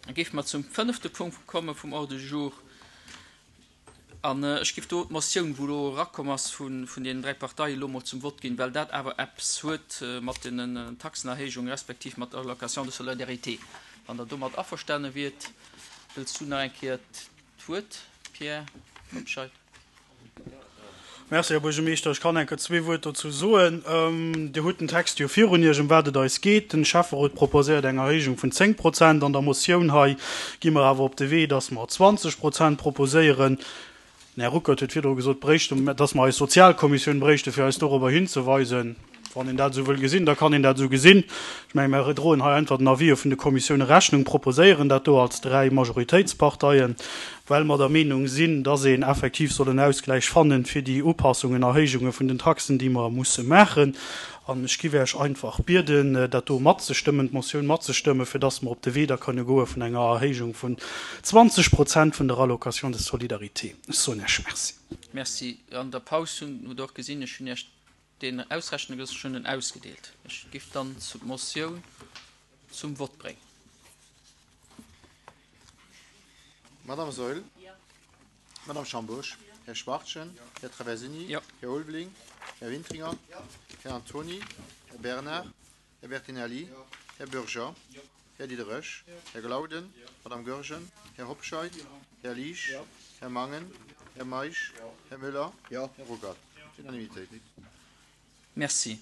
Da géife mer zum fënnefte Punkt komme vum Ordre du jour. An ech géif do d'Motioun, wou elo erakomm ass vun deenen dräi Parteien, elo emol zum Vott ginn, well dat awer eppes huet mat den Taxenerhéijungen respektiv mat der Allocation de solidarité. Wann Der domat averstane wiert. Wëlls du nach eng Kéier d'Wuert, Pierre Hobscheit? Merci, Här Buergermeeschter. Ech kann enker zwee Wuert dozou soen. Dir hutt den Text jo virun Iech, ëm wat et eis geet. Den Schäfferot proposéiert eng Erhéijung vun 10 Prozent. An der Motioun hei gi mer awer op de Wee, dass mer 20 Prozent proposéieren. Den Här Ruckert huet virdru gesot, bréichte, dass mer eis Sozialkommissioun bréichte fir eis dorobber hinzeweisen. Wann een dat esou wëll gesinn, da kann een dat esou gesinn. Ech menge mer droen hei einfach den Avisë vun de Kommissioune Rechnung, proposéieren dat do als dräi Majoritéitsparteien, well mer der Meenung sinn, dass een effektiv soll en Ausgläich fannen fir déi Upassungen, Erhéijunge vun den Taxen, déi mer musse maachen. An ech giff Iech einfach bieden, dat do matzestëmmen, d'Motioun matzestëmmen, fir dass mer op de Wee da kënne goe vun enger Erhéijung vun 20 Prozent vun der Allocation de solidarité. Ech soen Iech Merci. Merci. An der Paus hunn, hutt Der och gesinn, ech hunn Iech deen ausrechne gelooss, ech hunn en ausgedeelt. Ech giff dann d'Motioun zum Vott bréngen. Madame Saeul. Madame Schambourg. Här Schwachtgen. Här Traversini. Här Ulveling. Här Wintringer. Här Antony. Här Bernard. Här Bertinelli. Här Bürger. Här Diderich. Här Glauden. Madame Goergen. Här Hobscheit. Här Liesch. Här Mangen. Här Meisch. Här Müller. Här Ruckert. Unanimitéit. Merci.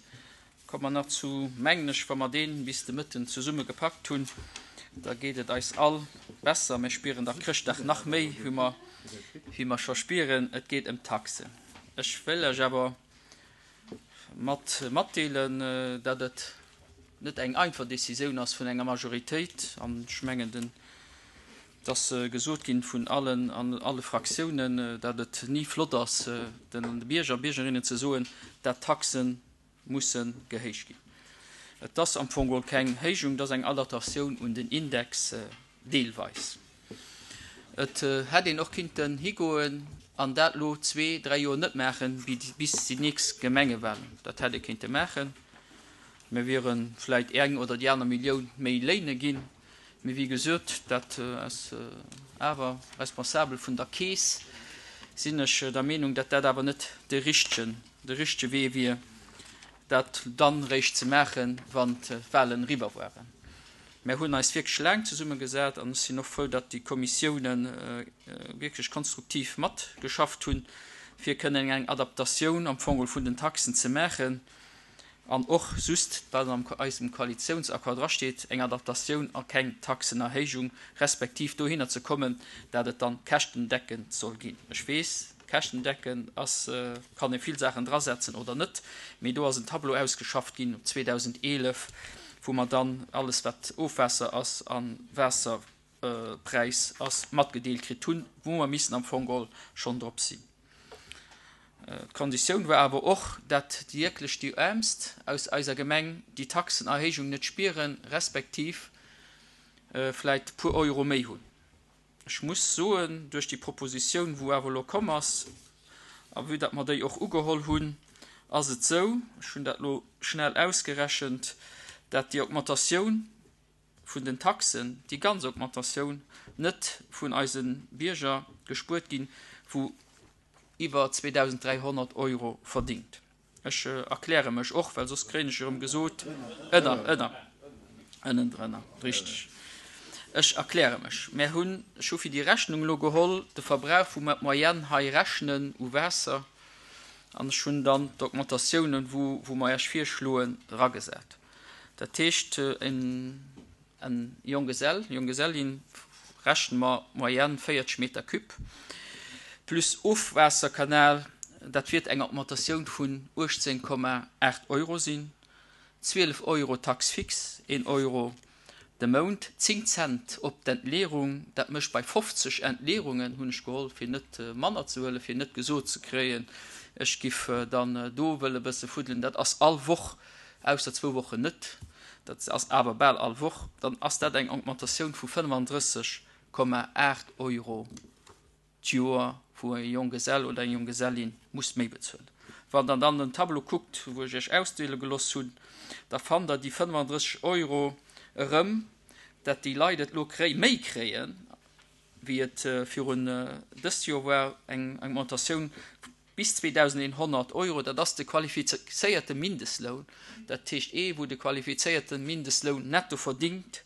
Komme mer nach zu, mengen ech, wa mer deen bis de Mëtten zesumme gepackt hunn, da geet et eis all besser. Mir spieren da Chrëschtdag nach méi, wéi mer, wéi mer scho spieren. Et geet ëm d'Taxen. Ech wëll lech awer mat matdeelen, datt et net eng einfach Décisioun ass vun enger Majoritéit, an ech mengen, den Et ass gesot ginn vun allen an alle Fraktiounen, datt et ni flott ass, den Bierger a Biergerinnen ze soen, dat d'Taxe musse gehéicht ginn. Et ass am Fong geholl keng Héijung, et ass eng Adaptatioun un den Index, deelweis. Et hätt een och kinnten higoen an dat elo zwee, dräi Joer net maachen, bis déi nächst Gemengewahlen. Dat hätt ee kinnte maachen. Mir wiere vläicht eng oder déi aner Millioun méi léine ginn. Mee wéi gesot, dat ass awer responsabel vun der Keess, sinn ech der Meenung, datt dat awer net de richtegen, de richtege Wee wier, dat dann eréischt ze maachen, wann d'Wahlen eriwwer waren. Mär hunn eis wierklech laang zesummegesat an ech sinn och frou, datt déi Kommissiounen wierklech konstruktiv matgeschafft hunn, fir kënnen eng Adaptatioun am Fong vun den Taxen ze maachen. An och just, wat an eisem Koalitiounsaccord drasteet, eng Adaptatioun a keng Taxenerhéijung, respektiv dohinner ze kommen, dat et dann käschtendeckend soll ginn. Ech weess, käschtendeckend ass, kann ee vill Saachen drasetzen oder net, mee do ass en Tableau ausgeschafft ginn 2011, wou mer dann alles, wat Ofwaasser ass a Waasser, Präis ass, matgedeelt kritt hunn, wou mer missen am Fong geholl schonn drop sinn. D'Konditioun war awer och, dat wierklech déi Äermst aus eiser Gemeng déi Taxenerhéijung net spieren, respektiv vläit puer Euro méi hunn. Ech muss soen, duerch déi Propositioun, wou awer elo komm ass, a vue dat mer déi och ugeholl hunn, ass et esou, ech hunn dat elo schnell ausgerechent, dat déi Augmentatioun, vun den Taxen, déi ganz Augmentatioun, net vun eise Bierger gespuert ginn, wou iwwer 2.300 Euro verdingt. Ech erkläre mech och, well soss kréien ech erëm gesot, ënner, ënner, ënnendrënner, richteg. Ech erkläre mech. Mär hunn, ech hu fir déi Rechnung elo geholl, de Verbrauch, wou mer d'Moyenne hei rechnen u Waasser, an ech hunn dann d'Augmentatiounen, wou, wou mer Iech virschloen, eragesat. Dat heescht, en Jonggesell, Jonggesellin rechne mer moyenne 40 Meter cube plus Ofwaasserkanal, dat wiert eng Augmentatioun vun 18,8 Euro sinn, 12 Euro Taxe fixe, een Euro de Mount, 10 Cent op d'Entleerung, dat mécht bei 50 Entleerungen, hunn ech geholl, fir net manner ze huelen, fir net gesot ze kréien, ech giff dann do wëlle bësse fuddelen, dat ass all Woch ausser zwou Wochen net, dat ass awer bal all Woch, dann ass dat eng Augmentatioun vu 35,8 Euro d'Joer, wou e Jonggesell oder eng Jonggesellin muss méi bezuelen. Wann Der dann den Tableau kuckt, wou ech Iech ausdeele geloss hunn, da fannt Der déi 35 Euro erëm. dat déi Leit et elo kréi méi kréien, wéi et virun dëst Joer war, eng Augmentatioun bis 2.100 Euro. Dat ass de qualifizéierte Mindestloun, dat heescht ee wou de qualifizéierte Mindestloun netto verdingt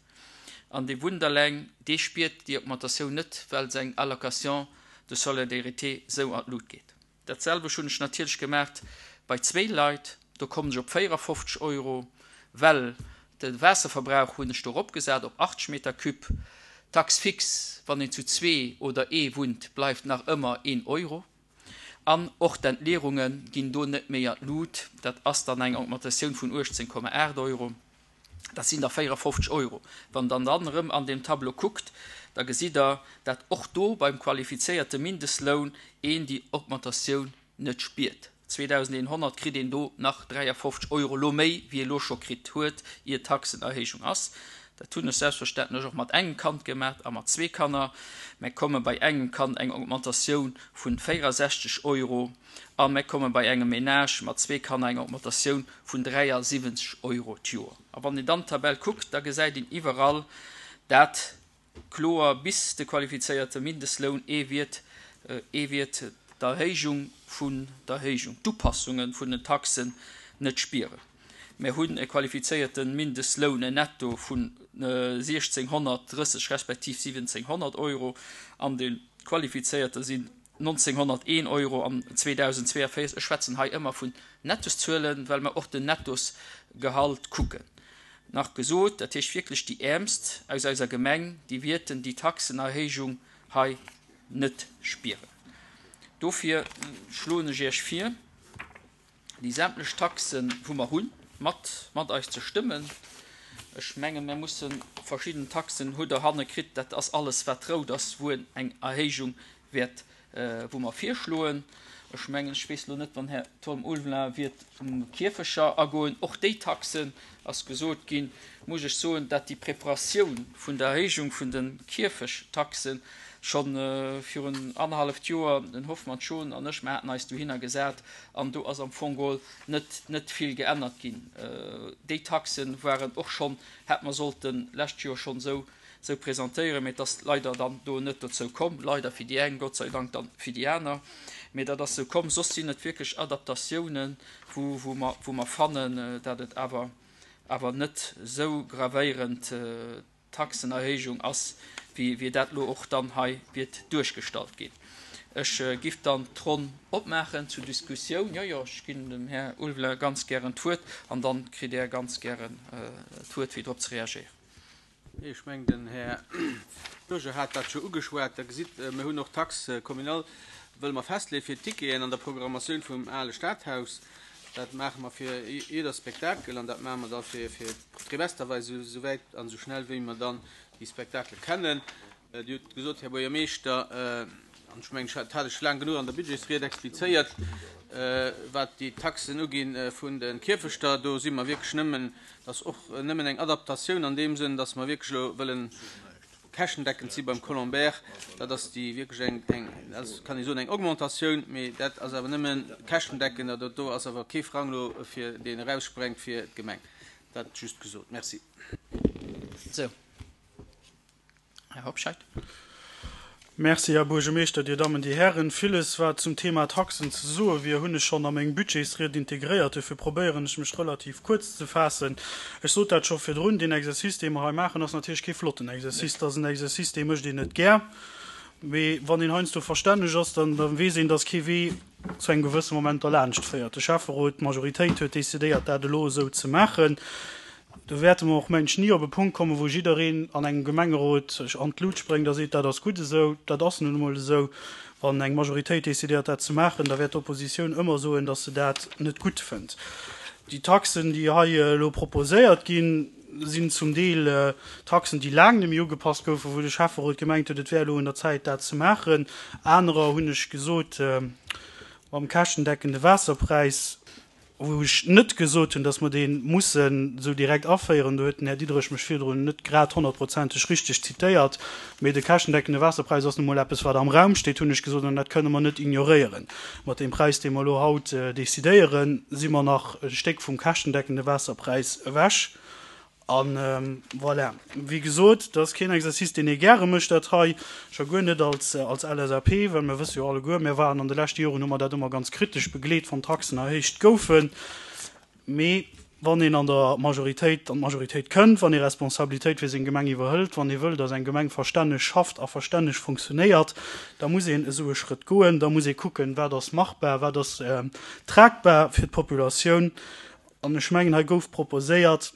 an dee wunnt eleng, dee spiert déi Augmentatioun net, well seng Allocation de solidarité sou an d'Lut geet. Dat selwecht hunn ech natierlech gemaacht bei zwéi Leit, do kommen ech op 54 Euro, well de Waasserverbrauch hunn ech do eropgesat op 80 Meter cube. D'Taxe fixe, wann een zu zwee oder ee wunnt, bleift nach ëmmer een Euro. An och d'Entleerunge ginn do net méi an d'Lut, dat ass dann eng Augmentatioun vun 18,8 Euro. Dat sinn da 54 Euro. Wann Der dann erëm an deem Tableau kuckt, da gesitt Der, dat och do beim qualifizéierte Mindestloun een déi Augmentatioun net spiert. 2.100 kritt een do nach 53 Euro elo méi, wéi e lo scho kritt huet, ier d'Taxenerhéijung ass. Dat hunn ech selbstverständlech och mat engem Kand gemaach a mat zwee Kanner. Mä komme bei engem Kand eng Augmentatioun vun 64 Euro. A mir komme bei engem Ménage mat zwee Kanner eng Augmentatioun vun 73 Euro d'Joer. A wann een dann d'Tabell kuckt, da gesäit een iwwerall dat kloer bis de qualifizéierte Mindestloun, ee wiert, ee wiert d'Erhéijung vun d'Erhéijung, d'Upassunge vun den Taxen net spieren. Mir hunn e qualifizéierte Mindestloun netto vun 1.630 respektiv 1.700 Euro an de qualifizéierte sinn 1.901 Euro an 2042, ech schwätzen hei ëmmer vun Nettoszuelen, well mer och den Nettosgehalt kucken, nach gesot, dat heescht wierklech déi Äermst aus eiser Gemeng, déi wierten déi Taxenerhéijung hei net spieren. Dofir schloen ech Iech vir, déi sämtlech Taxen, wou mer hunn, mat mat eis ze stëmmen. Ech mengen, mer musse verschidden Taxen, hutt Der hanne kritt, dat ass alles, wat rout ass, wou en eng Erhéijung wäert, wou mer virschloen. Ech mengen, ech weess elo net, wann Här Tom Ulveling wiert um Kierfecher agoen, och déi Taxen ass gesot ginn, muss ech soen, dat déi Preparatioun vun der Erhéijung vun de Kierfechtaxen scho virun annerhalleft Joer, den Hoffmann Schon an ech, mer haten eis dohinner gesat an do ass am Fong geholl net, net vill geännert ginn. Déi Taxe waren och schonn, hätt mer sollten lescht Joer schonn esou, esou presentéieren, mee et ass leider dann do net dozou komm, leider fir déi eng, Gott sei Dank dann fir déi aner, mee dat ass esou komm. Soss sinn et wierklech Adaptatiounen, wou, wou mer, wou mer fannen, dat et awer, awer net esou gravéierend Taxenerhéijung ass, wéi wéi dat elo och dann hei wiert duerchgestallt ginn. Ech giff dann d'Ronn opmaachen zur Diskussioun. Jo, jo, ech ginn dem Här Ulveling ganz gären d'Wuert an dann kritt Där ganz gären d'Wuert, fir drop ze reagéieren. Ech mengen, den Här Bürger hat dat scho ugeschwat. Der gesitt, mir hunn och d'Taxe communale wëlle mer festleeë fir d'Ticketen an der Programmatioun vum ale Stadhaus. Dat maache mer fir jidder Spektakel an dat maache mer da fir d'Trimester, esou wäit an esou schnell wéi mer dann déi Spektakele kennen. Dir hutt gesot, Här Buergermeeschter, an ech mengen, dat hat ech laang genuch an der Budgetsried explizéiert, wat déi Taxen ugi vun de Kierfechter, do si mer wierklech nëmmen, dat ass och nëmmen eng Adaptatioun an deem Sënn, dass mer wierklech elo wëllen käschtendeckend si beim Colombaire, dat ass déi wierklech eng, eng, dat ass, kann ee soen, eng Augmentatioun, mee dat ass awer nëmme käschtendeckend, dat do ass awer kee Frang elo fir deen eraussprengt fir d'Gemeng. Dat just gesot. Merci. Sou. Här Hobscheit. Merci, Här Buergermeeschter, Dir Dammen, Dir Hären. Villes, wat zum Thema Taxen ze soe wier, hunn ech schonn a meng Budgetsried integréiert. Dofir probéieren ech mech relativ kuerz ze faassen. Ech sot dat scho virdrun, Deen Exercice, dee mer hei maachen, ass natierlech kee flotten Exercice. Dat ass en Exercice, dee mécht een net gär. Mee wann een heiansdo verstänneg ass, dann weess een, dass kee Wee zu engem gewësse Moment derlaanscht féiert. De Schäfferot, d'Majoritéit huet decidéiert, dat elo esou ze maachen. Do wäerte mer och, mengen ech, ni op e Punkt kommen, wou jiddereen an engem Gemengerot sech an d'Lut spréngt a seet, dat ass gutt esou. Dat ass nun emol esou. Wann eng Majoritéit decidéiert, dat ze maachen, da wäert d'Oppositioun ëmmer soen, datt se dat net gutt fënnt. Déi Taxen, déi hei elo proposéiert ginn, sinn zum Deel Taxen, déi laang net méi ugepasst goufen, wou de Schäfferot gemengt huet, et wär elo un der Zäit, dat ze maachen. Anerer, hunn ech gesot, mam käschtendeckende Waasserpräis, wou ech net gesot hunn, dass mer dee mussen esou direkt aféieren, do huet den Här Diderich mech virdrun net grad honnertprozenteg richteg zitéiert, mee de käschtendeckende Waasserpräis ass nu mol eppes, wat am Raum steet, hunn ech gesot, an dat kënne mer net ignoréieren. Mat deem Präis, dee mer elo haut decidéieren, si mer nach e Stéck vum käschtendeckende Waasserpräis ewech. A voilà, wéi gesot, dat ass keen Exercice, deen ee gäre mécht, dat hei, scho guer net als LSAP, well mir wësse jo alleguer, mir waren an de leschte Joren, hu mer dat ëmmer ganz kritesch begleet, wann d'Taxen erhéicht goufen. Mee wann een an der Majoritéit, an d'Majoritéit kënnt, wann ee Responsabilitéit fir seng Gemeng iwwerhëlt, wann ee wëll, datt eng Gemeng verstänneg schafft a verstänneg funktionéiert, da muss een esou e Schrëtt goen, da muss ee kucken, wat ass machbar, wat ass tragbar fir d'Populatioun. An ech mengen, hei gouf proposéiert,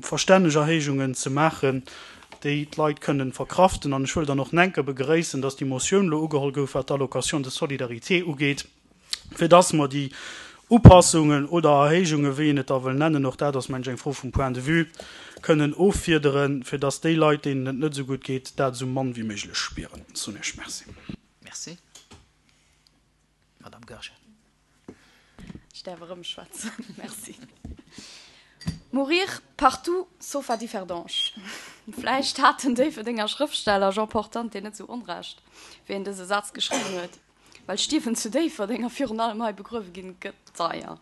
verstänneg Erhéijungen ze maachen, déi d'Leit kënnen verkraften. An ech wëll dann och nenke begréissen, dass déi Motioun elo ugeholl gouf, wat d'Allocation de solidarité ugeet, fir dass mer déi Upassungen oder Erhéijungen, wéi een et da wëll nennen, och dat ass, mengen ech, eng Fro vum Point de vue, kënnen offiederen, fir dass déi Leit, deenen et net esou gutt geet, dat esou mann wéi méiglech spieren. Soen Iech Merci. Merci. Madame Goergen. Ech däerf erëm schwätzen. Merci. Mourir partout sauf à Differdange. Vläicht hat den Déifferdenger Schrëftsteller Jean Portante net esou Onrecht, wéi en dëse Saz geschriwwen huet, well Stierwen zu Déifferdeng a virun allem hei begruewe ginn, gëtt deier.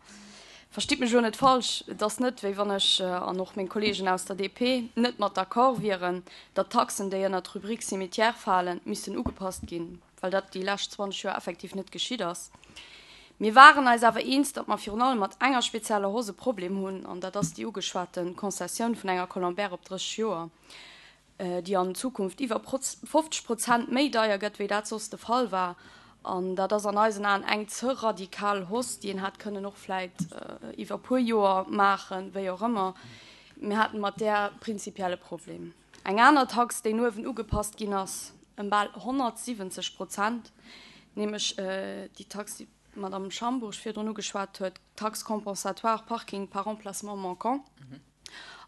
Verstitt mech elo net falsch, et ass net, wéi wann ech, an och meng Kolleegen aus der DP, net mat d'accord wieren, datt d'Taxen, déi ënnert d'Rubrik Cimetière falen, missten ugepasst ginn. well dat déi lescht 20 Joer effektiv net geschitt ass. Mir waren eis awer eens, datt mer virun allem mat enger spezieller Hausse e Problem hunn, an dat ass déi ugeschwate Concessioun vun enger Colombert op 30 Joer, déi an Zukunft iwwer 50 Prozent méi deier gëtt, wéi dat soss de Fall war. An dat ass an eisen Aen eng ze radikal Hausse, déi een hätt kënnen och vläit iwwer e puer Joer maachen, wéi och ëmmer. Mir haten mat där prinzipiell e Problem. Eng aner Tax, déi no uewen ugepasst ginn ass, ëm bal 170 Prozent, nämlech déi Tax, déi d'Madame Schambourg virdrun ugeschwat huet, d'Taxe compensatoire parking par emplacement manquant,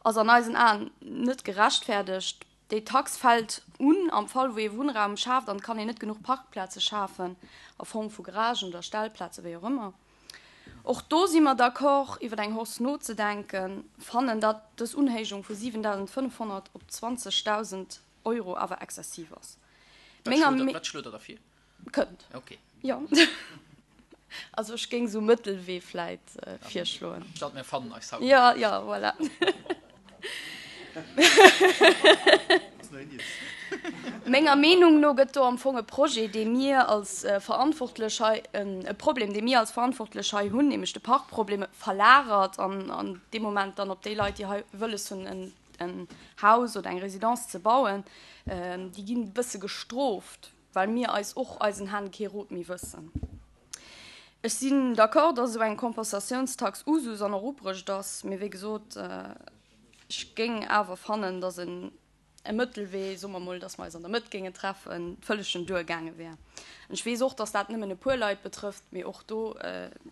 ass an eisen Aen net gerechtfäerdegt. Déi Tax fält un am Fall, wou ee Wunnraum schaaft an et kann een net genuch Parkplaze schafen a Form vu Garagen oder Stellplaze, wéi och ëmmer. Och do si mer d'accord, iwwer eng Hausse nozedenken, fannen, datt dës Unhéijung vu 7.500 op 20.000 Euro awer exzessiv ass. Menger Me. Wat schloot Der da vir? Kënnt. Ok. Jo. Also ech géing esou Mëttelwee vläit virschloen. Statt mir fannen eis haut. Jo, jo, voilà. Menger Meenung no gëtt do am Fong e Projet, dee mir als Verantwortlech hei, e Problem, dee mir als Verantwortlech hei hunn, nämlech de Parkproblem, verlagert an an deem Moment dann op déi Leit, déi hei wëlles hunn, en Haus oder eng Résidence ze bauen, déi ginn e bësse gestrooft, well mir eis och eisen Hänn kee Rot méi wëssen. Ech sinn d'accord, dass esou eng Kompensatiounstax Usus an och ubruecht ass, mee wéi gesot, ech géing awer fannen, dass en e Mëttelwee, soe mer mol, dass mer eis an der Mëtt géingen treffen, vëllegen duergaange wär. An ech weess och, dass dat nëmmen e puer Leit betrëfft, mee och do,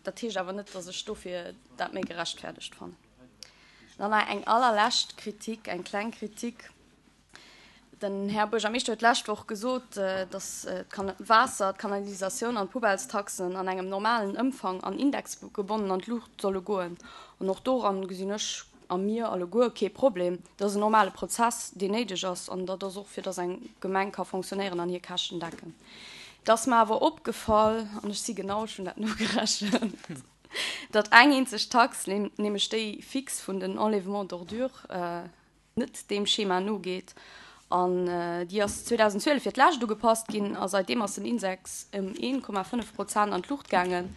dat heescht awer net, dass ech dofir dat méi gerechtfäerdegt fannen. Dann nach eng allerlescht Kritik, eng kleng Kritik. Den Här Buergermeeschter huet d'lescht Woch gesot, datt d'Waasser, d'Kanalisatioun an d'Poubellestaxen an engem normalen Ëmfang an indexgebonnen an d'Luucht solle goen. An och doran gesinn ech a mir alleguer kee Problem. Dat ass en normale Prozess, deen néideg ass, an dat ass och fir datt eng Gemeng ka fonctionnéieren an hir Käschten decken. Et ass mer awer opgefall, an ech si genau, ech hunn dat nogerechent, datt eng eenzeg Tax, nämlech déi fix vun den Enlèvements d'ordures, net deem Schema nogeet an déi ass 2012 fir d'lescht ugepasst ginn a seitdeem ass den Index ëm 1,5 Prozent an d'Luucht gaangen.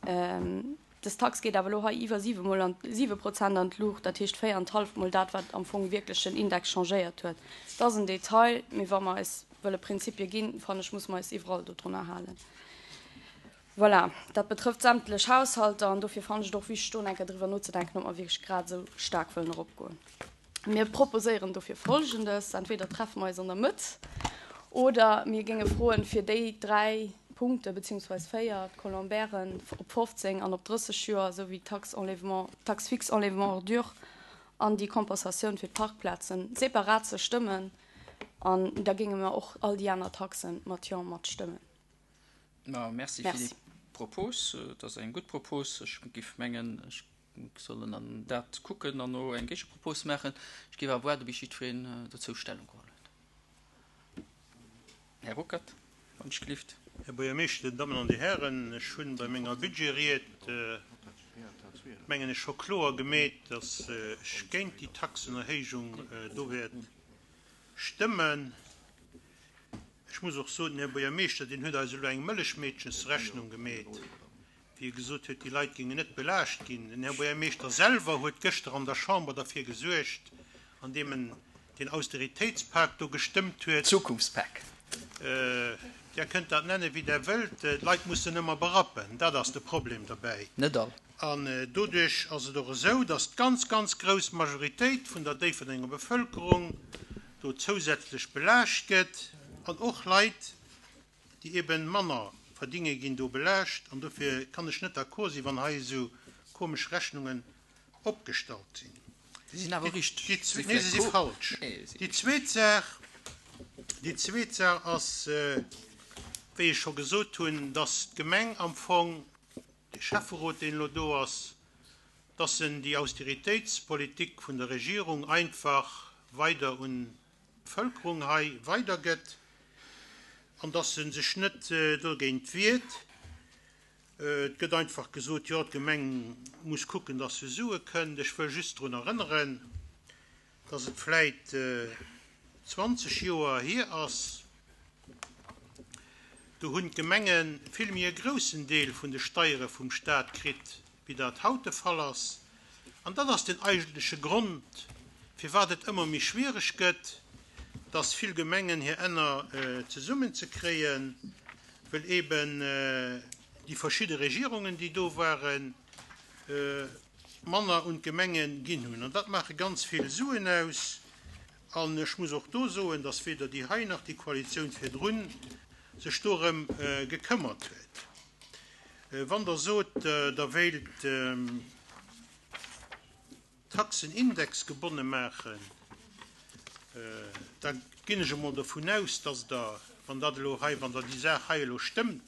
Dës Tax geet awer elo hei iwwer siwe mol an, siwe Prozent an d'Luucht, dat heescht véierenthalf mol dat, wat am Fong wierklech den Index changéiert huet. Dat ass en Detail, mee wa mer eis wëlle Prinzipie ginn, fannen ech, muss mer eis iwwerall dodrunner halen. Voilà, dat betrëfft sämtlech Haushalter an dofir fannen ech et och wichteg, do eng Kéier driwwer nozedenken, ob mer wierklech grad esou staark wëllen eropgoen. Mir proposéieren dofir Folgendes, Entweder treffe mer eis an der Mëtt oder mir géinge froen, fir déi dräi Punkte beziehungsweis véier, d'Colombairen op 15 an op 30 Joer, esou wéi d'Taxe enlèvement, d'Taxe fixe enlèvement ordures an déi Compensatioun fir d'Parkplazen separat ze stëmmen an da géinge mer och all déi aner Taxen mat Jo matstëmmen. Ma merci fir déi Propos. Et ass eng gutt Propos. Ech géif mengen, ech sollen an dat kucken an no eng Géigepropos maachen. Ech géif awer waarde bis jiddwereen dozou Stellung geholl huet. Här Ruckert, wann ech gelift. Här Buergermeeschter, Dir Dammen an Dir Hären, ech hunn bei menger Budgetried. mengen ech, scho kloer gemeet, dass ech géint déi Taxenerhéijung do wäert stëmmen. Ech muss och soen, den Här Buergermeeschter, deen huet eis elo eng Mëllechmeedchensrechnung gemeet, wéi e gesot huet, déi Leit géingen net belaascht ginn. Den Här Buergermeeschter selwer huet gëschter an der Chamber derfir gesuergt, andeem en deen Austeritéitspak do gestëmmt huet. Zukunftspak. Där kënnt dat nennen, wéi Der wëllt, d'Leit mussen ëmmer berappen, dat ass de Problem derbäi. Net all. An doduerch ass et och esou, dass d'ganz, ganz grouss Majoritéit vun der Déifferdenger Bevëlkerung do zousätzlech belaascht gëtt an och Leit, déi eben manner verdinge ginn do belaascht an dofir kann ech net d'accord sinn, wann hei esou komesch Rechnungen opgestallt sinn. Si sinn awer richteg. Nee, se si falsch. Déi zweet Saach, déi zweet Saach ass, wéi ech scho gesot hunn, dass d'Gemeng am Fong, de Schäfferot, deen elo do ass, dass en déi Austeritéitspolitik vun der Regierung einfach weider un d'Bevëlkerung hei weidergëtt an dass e sech net dogéint wiert. Et gëtt einfach gesot, jo, d'Gemeng muss kucken, dass se Sue kënnt. Ech wëll just drun erënneren, dass et vläit 20 Joer hier ass, do hunn d'Gemenge vill méi e groussen Deel vun de Steiere vum Stat kritt, wéi dat haut de Fall ass. An dat ass den eigentleche Grond, firwat et ëmmer méi schwiereg gëtt, dass vill Gemengen hir Enner zesummenzekréien, well eben déi verschidde Regierungen, déi do waren, manner un d'Gemenge ginn hunn. An dat maache ganz vill Suen aus. An ech muss och do soen, dass weder déi hei nach déi Koalitioun virdrun sech dorëm gekëmmert huet. Wann Der sot, Der wéilt d'Taxen indexgebonne maachen, da ginn ech emol dovun aus, dass Der, wann dat elo hei, wann Der déi Saach hei elo stëmmt,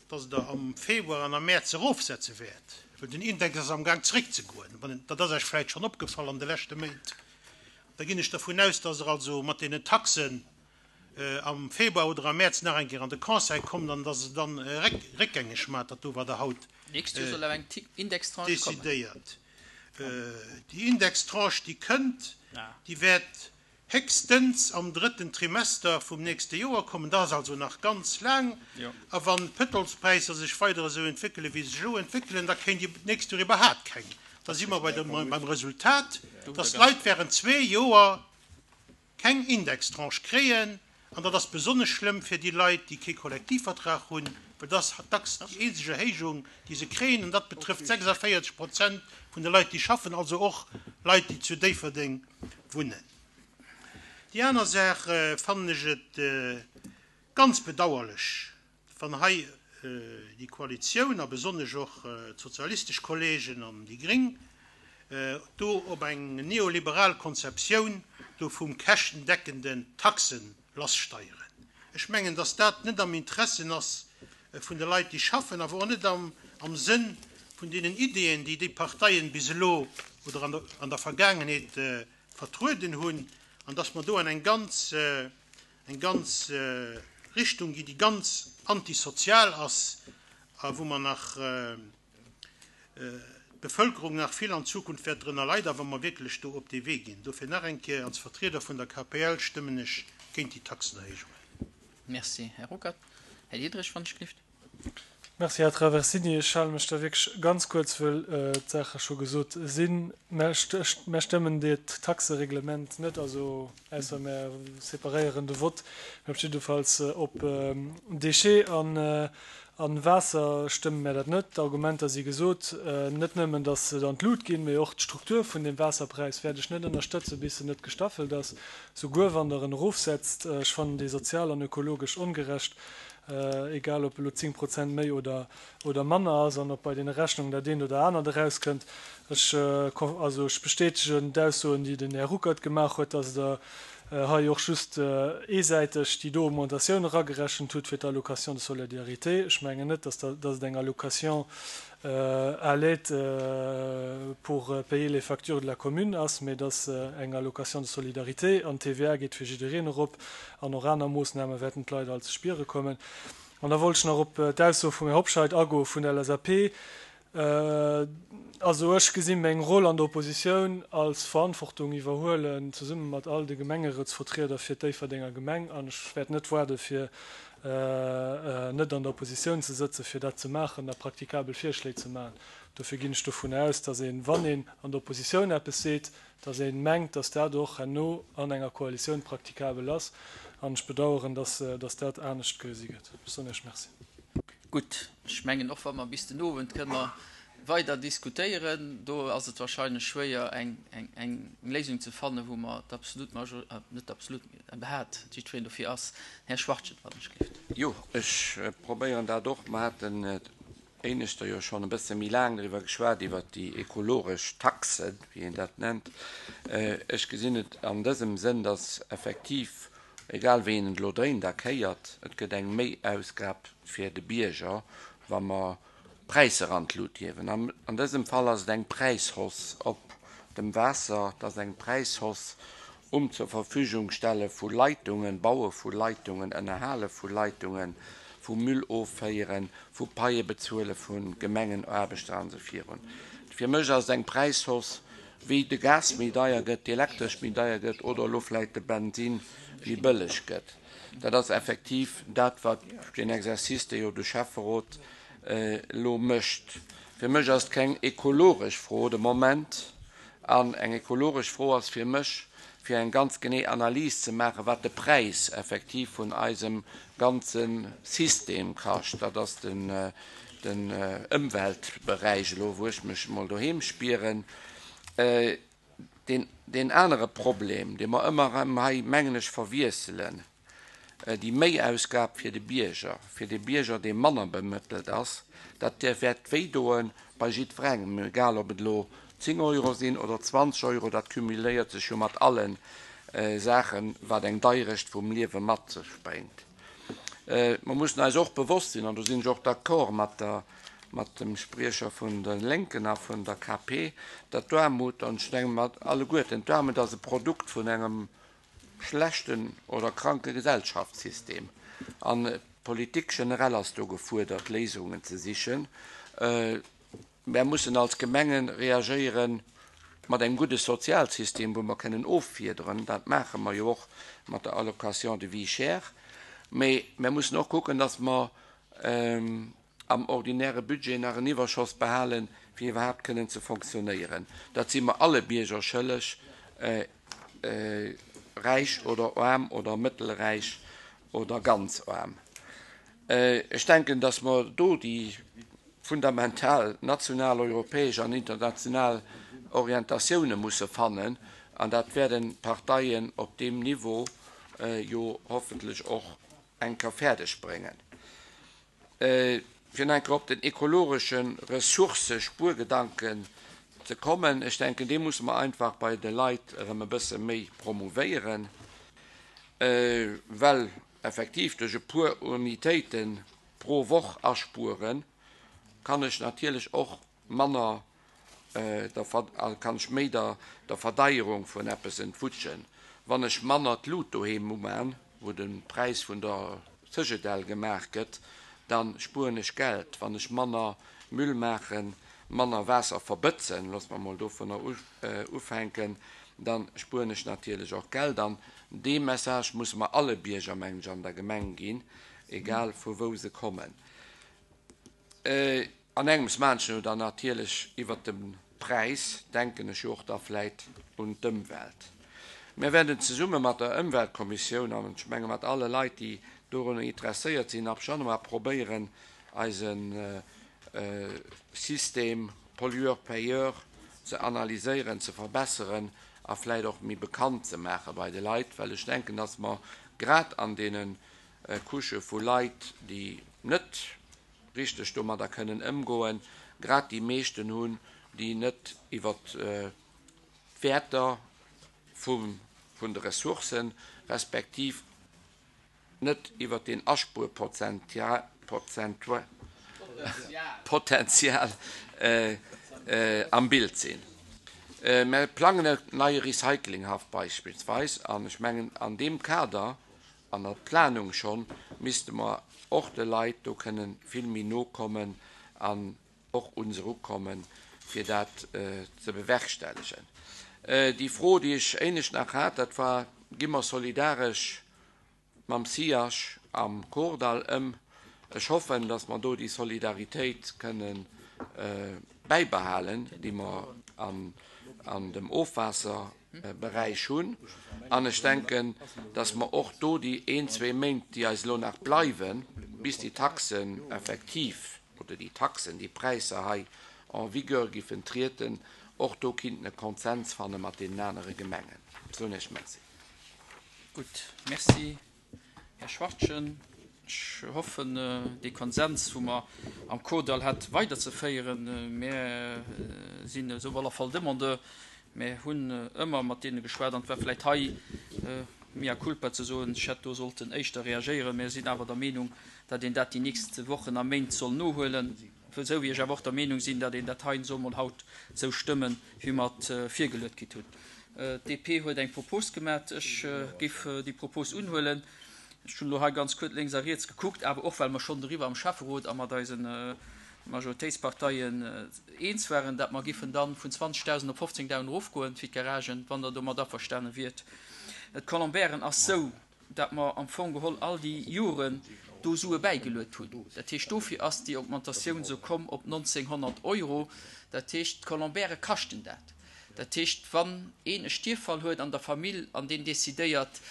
dass Der am Februar an am Mäerz erofsetze wäert, well den Index ass amgaang zeréckzegoen. Dat ass Iech vläicht schonn opgefall an de leschte Méint. Da ginn ech dervun aus, dass Der also mat deenen Taxen am Februar oder am Mäerz nach eng Kéier an de Conseil kommt an dass e dann réckgängeg maacht, dat do wat Der haut decidéiert. Déi Indextranche, déi kënnt, déi wäert héchstens am drëtten Trimester vum nächste Joer kommen. Dat ass also nach ganz laang. A wann d'Pëtrolspräisser sech weider esou entwéckelen, wéi se sech elo entwéckelen, da kéint Dir d'nächst Joer iwwerhaapt keng. Da si mer beim Resultat, dass d'Leit während zwee Joer keng Indextranche kréien, an dat ass besonnesch schlëmm fir déi Leit, déi kee Kollektivvertrag hunn, well dat ass dacks déi eenzeg Erhéijung, déi se kréien, an dat betrëfft 46 Prozent vun de Leit, déi schaffen, also och Leit, déi zu Déifferdeng wunnen. Déi aner Saach fannen ech et ganz bedauerlech, Wann hei déi Koalitioun a besonnesch och d'sozialistesch Kollegen an déi Gréng do op eng neoliberal Konzeptioun do vum käschtendeckenden Taxen lassteieren. Ech mengen, dass dat net am Interessen ass vun de Leit, déi schaffen, awer och net am Sënn vun deenen Ideeën, déi déi Parteien bis elo oder an der Vergaangenheet vertrueden hunn, an dass mer do an eng ganz eng ganz Richtung gi, déi ganz antisozial ass a wou mer nach d'Bevölkerung nach vill an Zukunft wäert drënner leiden, wa mer wierklech do op dee Wee ginn. Dofir nach eng Kéier, als Vertrieder vun der KPL stëmmen ech géint déi Taxenerhéijungen. Merci, Här Ruckert. Här Diderich, wann ech gelift. Merci, Här Traversini. Ech hale mech da wierklech ganz kuerz, wëll d'Saache scho gesot sinn. Mär stëmmen dat Taxereglement net, also ausser mär separéieren de Vott. Mä op jiddefalls op Déchets an Waasser stëmme mär dat net. D'Argumenter si gesot. Net nëmmen, datt se an d'Lut ginn, mee och d'Struktur vun deem Waasserpräis wäert ech net ënnerstëtzen, bis se net gestaffelt ass, souguer wann Der en erofsetzt. Ech fannen déi sozial an ökologesch ongerecht. egal ob elo 10 Prozent méi oder oder manner ass an ob bei deene Rechnungen dat eent oder anert erauskënnt. Ech, also ech bestätegen d'Aussoen, déi den Här Ruckert gemaach huet, dass Der hei och just eesäiteg déi do Augmentatioun eragerechent hutt fir d'Allocation de solidarité. Ech mengen net, dass Der, dass et eng Allocation à l'aide pour payer les factures de la commune ass, mee dass eng Allocation de solidarité an d'TVA geet fir jiddereen erop an och aner Moossname wäerten d'Leit all ze spiere kommen. An da wollt ech nach op d'Ausso vum Här Hobscheit agoe vun der LSAP. Also ech gesi meng Roll an der Oppositioun als Verantwortung iwwerhuelen, zesumme mat all de Gemengerëtsvertrieder fir d'Déifferdenger Gemeng. An ech wäert net waarde fir net an der Oppositioun ze sëtzen, fir dat ze maachen a praktikabel Virschléi ze maachen. Dofir ginn ech dovun aus, datt een, wann een an der Oppositioun eppes seet, datt ee mengt, datt dat och herno an enger Koalitioun praktikabel ass. An ech bedauern, datt dat anescht gesi gëtt. Ech soen Iech Merci. Gutt, ech mengen, och wa mer bis den Owend kënne mer weider diskutéieren, do ass et wahrscheinlech schwéier, eng Léisung ze fannen, wou mer d'absolut Major-, net d'absolut, mee iwwerhaapt jiddwereen dofir ass. Här Schwachtgen, wann ech gelift. Jo, ech probéieren dat och. Mer haten éineschter jo schonn e bësse méi laang driwwer geschwat, iwwert déi ekologesch Taxe, wéi een dat nennt. Ech gesinn et an dësem Sënn, dass effektiv, egal wéi een et elo dréint a kéiert, et gëtt eng Méiausgab fir de Bierger, wa mer d'Präisser an d'Lut hiewen. An dësem Fall ass et eng Präishausse op dem Waasser, et ass eng Präishausse um zur Verfügung stelle vu Leitungen, Baue vu Leitungen, Ënnerhale vu Leitungen, vu Müll offéieren, vu Paie bezuele vu Gemengenaarbechter an esou virun. Fir mech ass et eng Präishausse, wéi de Gas méi deier gëtt, d'Elektresch méi deier gëtt oder elo vläicht de Bensin méi bëlleg gëtt. Dat ass effektiv dat, wat deen Exercice, dee jo de Schäfferot elo mécht. Fir mech ass et keng ekologesch Fro de Moment. An eng ekologesch Fro ass fir mech, fir eng ganz genee Analys ze maachen, wat de Präis effektiv vun eisem ganze System kascht. Dat ass den Ëmweltberäich elo, wou ech mech emol doheem spieren. Deen anere Problem, dee mer ëmmer erëm hei, mengen ech, verwiesselen, Déi Méiausgab fir de Bierger, fir de Bierger, dee manner bemëttelt ass, dat wäert wéidoe bei jiddwerengem, egal ob et elo 10 Euro sinn oder 20 Euro, dat cumuléiert sech jo mat alle Saachen, wat eng Deierecht vum Liewe mat sech bréngt. Mer mussen eis och bewosst sinn, an do sinn ech och d'accord mat der, mat dem Spriecher vun de Lénken a vun der KP, datt d'Aarmut, an ech menge mat alleguerten, d'Aarmut ass e Produkt vun engem schlechten oder kranke Gesellschaftssystem an d'Politik generell ass do gefuerdert Léisungen ze sichen. Mär mussen als Gemenge reagéiere mat engem gudde Sozialsystem, wou mer kënnen offiederen, dat maache mer jo och mat der Allocation de vie chère, mee mär mussen och kucken, datt mer am ordinäre Budget nach en Iwwerschoss behalen, fir iwwerhaapt kënnen ze fonctionnéieren. Dat si mer alle Bierger schëlleg, räich oder aarm oder mëttelräich oder ganz aarm. Ech denken, dass mer do déi fundamental national, europäesch an international Orientatioune musse fannen, an dat wäerten d'Parteien op deem Niveau jo hoffentlech och eng Kéier fäerdeg bréngen. Fir nach eng Kéier op den ekologesche Ressourcëspuergedanken ze kommen, ech denken, dee musse mer einfach bei de Leit erëm e bësse méi promouvéieren, well effektiv duerch e puer Unitéite pro Woch aspueren, kann ech natierlech och manner der kann ech méi der der Verdeierung vun eppes entwutschen, wann ech manner d'Lut doheem uman, wou de Präis vun der Cegedel gemaach gëtt, da spueren ech Geld. Wann ech manner Müll maachen, manner Waasser verbëtzen, loosse mer emol dovunner ufänken, da spueren ech natierlech och Geld. An dee Message musse mer alle Bierger, mengen ech, an der Gemeng ginn, egal vu wou se kommen. An engems maachen ech jo dann natierlech iwwert de Präis, denken ech jo och da vläit un d'Ëmwelt. Mir wäerten zesumme mat der Ëmweltkommissioun an ech menge mat alle Leit, déi dorunner interesséiert sinn, ab Januar probéieren, eise System Pollueur-payeur ze analyséieren, ze verbesseren a vläit och méi bekannt ze maache bei de Leit, well ech denken, dass mer grad an deene Couchë vu Leit, déi net richteg domadder kënnen ëmgoen, grad déi meeschten hunn, déi net iwwer d'Wäerter vun de Ressourcen, respektiv net iwwer deen Aspuerpotenzial am Bild sinn. Mir plangen e neie Recyclinghaff beispillsweis an ech mengen an deem Kader An der Planung schonn misste mer och de Leit do kënnen vill méi no kommen an. och un se erukommen, fir dat ze bewerkstelligen. Déi Fro, déi ech éinescht nach hat, dat war, Gi mer solidaresch mam SIAJ am Kordall ëm? Ech hoffen, dass mer do déi Solidaritéit kënnen bäibehalen, déi mer an dem Ofwaasserberäich hunn. An ech denken, dass mer och do déi een, zwee Méint, déi eis elo nach bleiwen, bis déi Taxen effektiv, oder déi Taxen, déi Präisser hei en vigueur giffen trieden, och do kinnten e Konsens fanne mat deenen anere Gemengen. Soen Iech Merci. Gutt, Merci, Här Schwachtgen. Ech hoffen, dee Konsens, wou mer am Kordall hat, weiderzeféieren. Mir sinn esou op alle Fall Demandeur. Mir hunn ëmmer mat deene geschwat an et war vläicht hei mea culpa ze soen, ech hätt do sollten éischter reagéieren. Mir sinn awer der Meenung, datt een dat déi nächst Wochen a Méint soll nohuelen, esou wéi ech awer och der Meenung sinn, datt een dat hei soll mol haut esou stëmmen, wéi mer et virgeluet kritt hunn. D'DP huet eng Propos gemat. Ech géif déi Propos unhuelen. Ech hunn elo hei ganz kuerz lénks a riets gekuckt, awer och well mer schonn doriwwer am Schäfferot a mat eise Majoritéitsparteien eens waren, dat mer giffen dann vun 20.000 op 15.000 erofgoen fir d'Garagen, wann Der domat averstane wiert. D'Colombairen ass sou, dat mer am Fong geholl all déi Joren do Sue bäigeluet hunn. Dat heescht, dofir ass déi Augmentatioun sou komm op 1.900 Euro. Dat heescht, d'Colombaire kaschten dat. Dat heescht, wann een e Stierffall huet an der Famill an deen decidéiert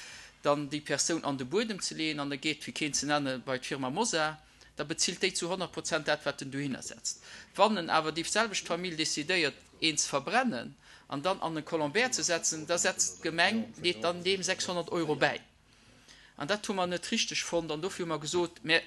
dann déi Persoun an de Buedem ze leeën an e geet, fir keen ze nennen, bei d'Firma Mosar, da bezilt déi zu 100 Prozent dat, wat en dohinner setzt. Wann en awer déi selwecht Famill decidéiert, een ze verbrennen an dann an e Colombaire ze setzen, da setzt d'Gemeng, leet dann deem 600 Euro bäi. An dat hu mer net richteg fonnt an dofir hu mer gesot, Mir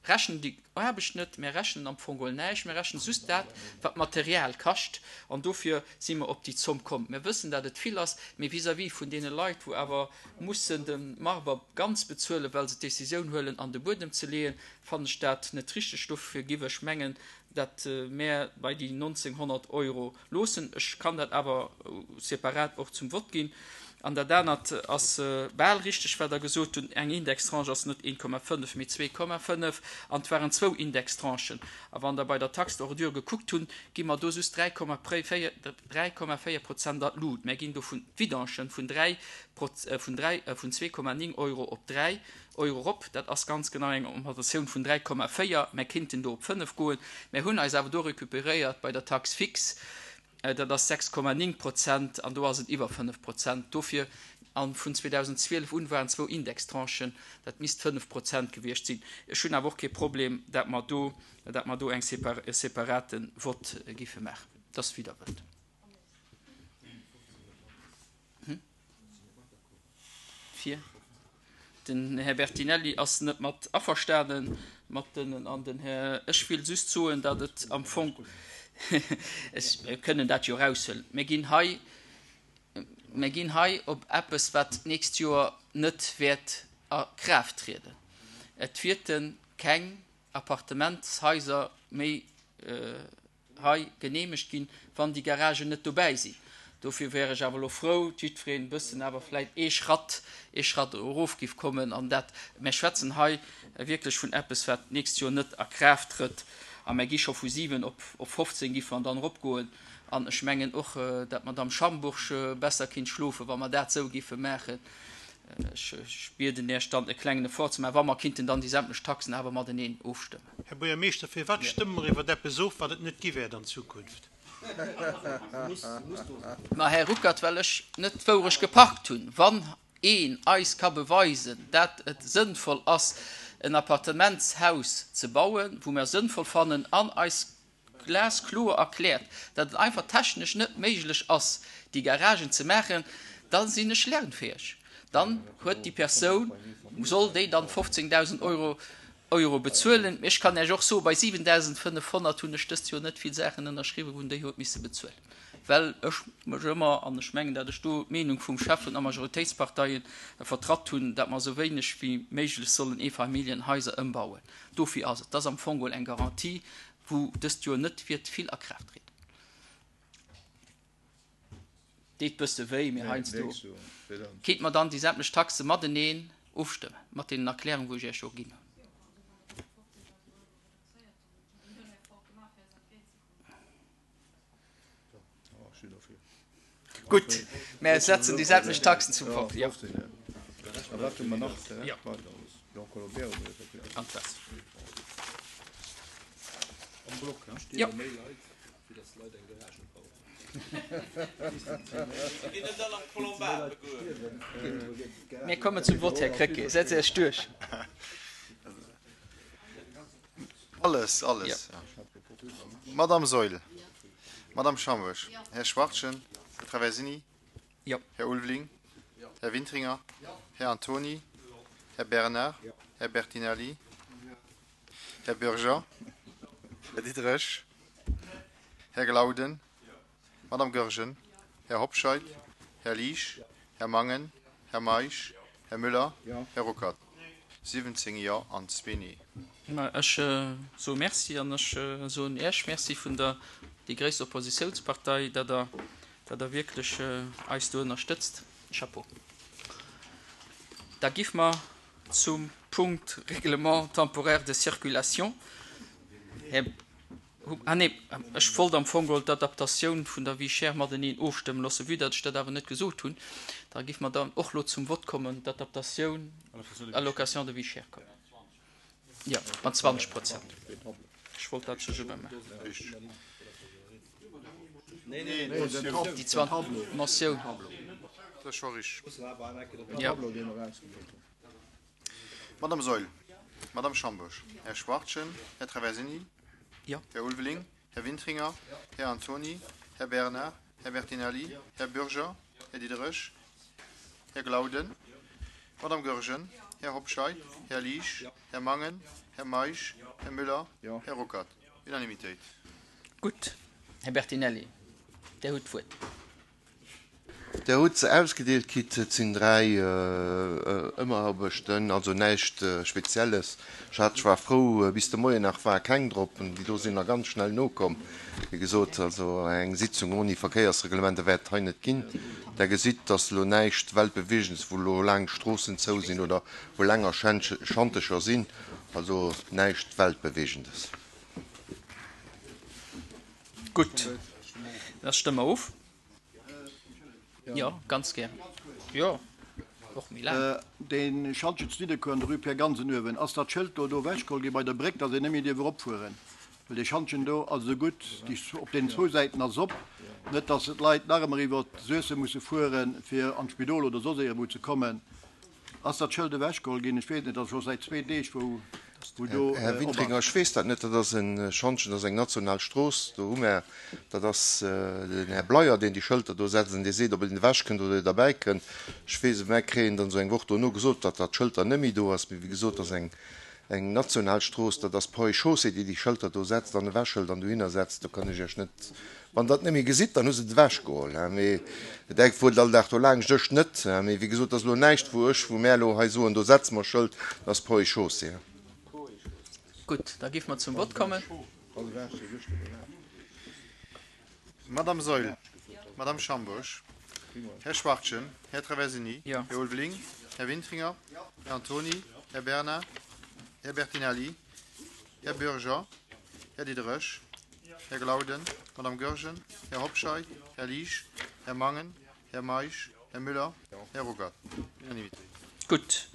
rechnen déi Aarbecht net, mir rechnen am Fong geholl näischt, mir rechnen just dat, wat d'Material kascht an dofir si mer op déi Zomm komm. Mir wëssen, dat et vill ass, mee vis-à-vis vun deene Leit, wou awer mussen de Marber ganz bezuelen, well se d'Décisioun huelen, an de Buedem ze leeën, fannen ech dat net richteg. Dofir giff ech mengen, dat mär bei déi 1.900 Euro loossen. Ech kann dat awer separat och zum Vott ginn. An dat anert ass bal richteg, wat Der gesot hutt, Eng Indextranche ass net 1,5, mee 2,5. An et waren zwou Indextranchen. A wann Der bei der Taxe d'ordure gekuckt hunn, gi mer do just 3,4 Prozent an d'Lut. Mär ginn do vun d'Vidangen vun 3, vun 3, vun 2,9 Euro op 3 Euro erop. Dat ass ganz genau eng Augmentatioun vun 3,4. Mär kinnten do op 5 goen. Mär hunn eis awer do recuperéiert bei der Taxe fixe. Dat ass 6,9 Prozent an do ass et iwwer 5 Prozent. Dofir, a vun 2012 un waren zwou Indextranchen, dat misst 5 Prozent gewiescht sinn. Ech hunn awer och kee Problem, dat mer do, dat mer do eng e separate Vott giffe maachen. Dat ass wéi Der wëllt. Fir. Den Här Bertinelli ass net mat averstane mat den an den Här. Ech will just soen, datt et am Fong, ech, mir kënnen dat jo eraushuelen, mir ginn hei, mir ginn hei op eppes, wat d'nächst Joer net wäert a Kraaft trieden. Et wäerte keng Appartementshaiser méi hei geneemegt ginn, wann déi Garagen net dobäi sinn. Dofir wär ech awer elo frou, jiddwereen e bëssen awer vläit ee Schratt, ee Schratt erof giff kommen an dat, mär schwätzen hei wierklech vun eppes, wat d'nächst Joer net a Kraaft trëtt a mär gi scho vu 7 op 15 giffe mer dann eropgoen an ech mengen och, dat d'Madame Schambourg besser kinnt schlofen, wa mer dat esou giffe maachen. Ech bieden Iech dann e klengen Effort ze maachen, wa mer kinnten dann déi sämtlech Taxen awer mateneen ofstëmmen. Här Buergermeeschter, firwat stëmme mer iwwer eppes of, wat et net gi wäert an Zukunft? Ma Här Ruckert, well ech net d'Wourecht gepackt hunn. Wann een eis ka beweisen, dat et sënnvoll ass, en Appartementshaus ze bauen, wou mer sënnvoll fannen, an eis glaskloer erkläert, dat et einfach technesch net méiglech ass, déi Garagen ze maachen, da sinn ech lernfäeg. Dann huet déi Persoun, soll déi dann 15.000 Euro Euro bezuelen. Mee ech kann Iech och soen, bei 7.500 hunn ech dëst Joer net vill Saachen ënnerschriwwen, wou en déi huet misse bezuelen, well ech mech ëmmer, an ech mengen, dat ech do d'Meenung vum Chef vun der Majoritéitsparteien vertratt hunn, dat mer esou wéineg wéi méiglech sollen Eefamilljenhaiser ëmbauen. Dofir ass et, dat ass am Fong geholl eng Garantie, wou dëst Joer net wäert vill a Kraaft trieden. Deet bësse wéi, mee heiansdo kéint mer dann déi sämtlech Taxe mateneen ofstëmmen, mat deenen Erklärungen, wou ech Iech jo ginn hunn. Gutt, mä setzen déi selwecht Taxen zum Vott. Jo. An d'Waasser. Jo. Mir kommen zum Vott, Här Krecké. Setzt Iech duerch. Alles, alles. Madame Saeul, Madame Schambourg, Här Schwachtgen, Här Traversini, Här Ulveling, Här Wintringer, Här Antony, Här Bernard, Här Bertinelli, Här Bürger, Här Diderich, Här Glauden, Madame Goergen, Här Hobscheit, Här Liesch, Här Mangen, Här Meisch, Här Müller, Här Ruckert. 17 Jo an zwee Nee. Ech soe Merci an ech soen Iech Merci vun der déi gréisst Oppositiounspartei, datt Der, datt Der wierklech eis do ënnerstëtzt. Chapeau. Da giff mer zum Punkt Règlement temporaire de circulation. Här. Ah nee, ech wollt am Fong geholl d'Adaptatioun vun der Vie chère mateneen ofstëmmen loossen. Vue datt ech dat awer net gesot hunn, da giff mer dann och elo zum Vott kommen, d'Adaptatioun, Allocation de vie chère kommen. Jo, mat 20 Prozent. Ech wollt dat zesumme maachen. Déi 20, Motioun. Jo. Madame Saeul, Madame Schambourg, Här Schwachtgen, Här Traversini, Här Ulveling, Här Wintringer, Här Antony, Här Bernard, Här Bertinelli, Här Bürger, Här Diderich, Här Glauden, Madame Goergen, Här Hobscheit, Här Liesch, Här Mangen, Här Meisch, Här Müller, Här Ruckert. Unanimitéit. Gutt, Här Bertinelli, Dir hutt d'Wuert. Der hutt se ausgedeelt kritt. Et sinn 3 Ëmeraarbechten, also näischt Spezielles. Ech hat, ech war frou, bis de Moien nach war keng drop. Déi do sinn nach ganz schnell nokomm. Wéi gesot, also eng Sitzung ouni Verkéiersreglementer wäert et hei net ginn. Der gesitt, dass elo näischt Weltbewegendes, wou elo laang Stroossen zou sinn oder wou länger Schantecher sinn. Also näischt Weltbewegendes. Gutt, da stëmme mer of. Jo, ganz gär. Jo, och méi laang. Dee Schantje zu Nidderkuer an der Rue Pierre Gansen uewen, ass dat Schëld do do ewechgeholl gi bei der Bréck, datt een net méi dierf eropfueren? Well dee Schantjen do ass esou gutt, déi op deenen zwou Säiten ass op, net datt d'Leit nach ëmmer iwwer Suessem musse fueren, fir an d'Spidol oder soss iergendwou ze kommen. Ass dat Schëld ewechgeholl ginn? Ech weess et net, ass scho säit zwee Deeg, wou wou do Här op Wintringer, ass. ech weess dat net. Dat ass e Schantjen, dat ass eng national Strooss. Do hu mär, dat ass den Här Bleyer, deen déi Schëlter do setzt an dee seet, ob een ewechkënnt oder derbäi kënnt. Ech weess et, mär kréien dann esou eng Woch dono gesot, datt dat Schëlter net méi do ass. Mee wéi gesot, dat ass eng eng national Strooss, dat ass d'Ponts et Chaussées, déi déi Schëlter do setzt an ewechhëlt an dohinner setzt. Do kann ech Iech net, wann Der et net méi gesitt, dann hu se et ewechgeholl, hein. Mee Der fuert all Dag do laangscht, ech net, hein. Mee wéi gesot, dat ass elo näischt, wou ech, wou mär elo hei soen, do setze mer e Schëld, dat ass Ponts et Chaussées, hein. Gutt, da géife mer zum Vott kommen. Madame Saeul, Madame Schambourg, Här Schwachtgen, Här Traversini, Här Ulveling, Här Wintringer, Här Antony, Här Bernard, Här Bertinelli, Här Bürger, Här Diderich, Här Glauden, Madame Goergen, Här Hobscheit, Här Liesch, Här Mangen, Här Meisch, Här Müller, Här Ruckert. Unanimitéit. Gutt.